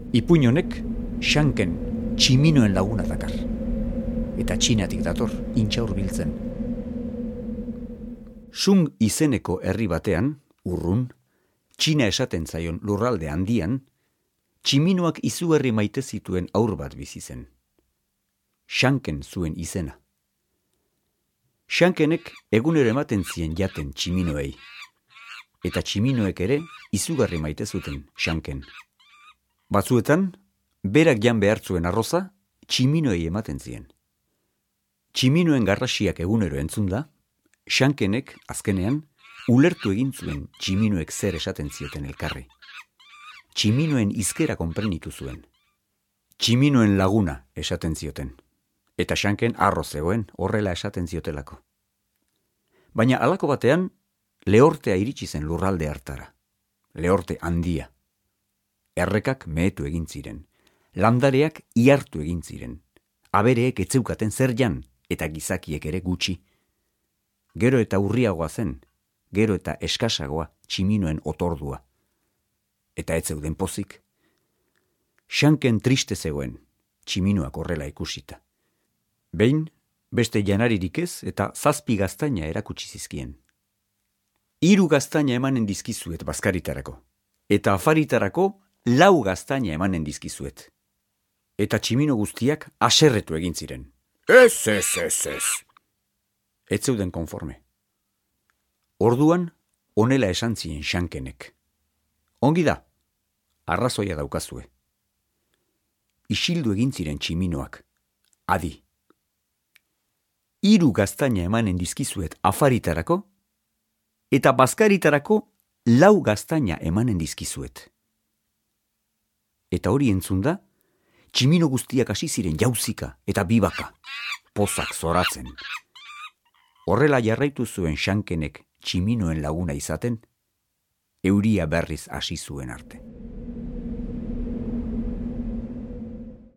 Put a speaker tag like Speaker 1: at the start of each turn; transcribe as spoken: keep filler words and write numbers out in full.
Speaker 1: Ipuin honek Xanken tximinoen laguna dakar. Eta Txinatik dator, intxaur biltzen. Sung izeneko herri batean, urrun, Txina esaten zaion lurralde handian, tximinoak izugarri maite zituen aur bat bizi zen. Xanken zuen izena. Xankenek egunero ematen zien jaten tximinoei. Eta tximinoek ere izugarri maite zuten Xanken. Batzuetan, berak jan behar zuen arroza, tximinoei ematen zien. Tximinoen garrasiak egunero entzunda, Xankenek, azkenean, ulertu egin zuen tximinoek zer esaten zioten elkarri. Tximinoen hizkera konprenitu zuen. Tximinoen laguna esaten zioten. Eta Xanken arro zegoen horrela esaten ziotelako. Baina halako batean, lehortea iritsi zen lurralde hartara. Lehorte handia. Errekak mehetu egin ziren. Landareak ihartu egin ziren. Abereek etzeukaten zer jan, eta gizakiek ere gutxi. Gero eta urriagoa zen, gero eta eskasagoa tximinoen otordua. Eta ez zeuden pozik. Xanken triste zegoen, tximinoak horrela ikusita. Behin, beste janaririk ez eta zazpi gaztaina erakutsi zizkien. Hiru gaztaina emanen dizkizuet bazkaritarako, eta afaritarako lau gaztaina emanen dizkizuet. Eta tximino guztiak haserretu egin ziren. Ez, ez, ez, ez. Ez zeuden konforme. Orduan, honela esan zien Xankenek. Ongi da, arrazoia daukazue. Isildu egin ziren tximinoak, adi. Hiru gaztaina emanen dizkizuet afaritarako, eta bazkaritarako lau gaztaina emanen dizkizuet. Eta hori entzunda, tximino guztiak hasi ziren jauzika eta bibaka, pozak zoratzen. Horrela jarraitu zuen Xankenek tximinoen laguna izaten, euria berriz hasi zuen arte.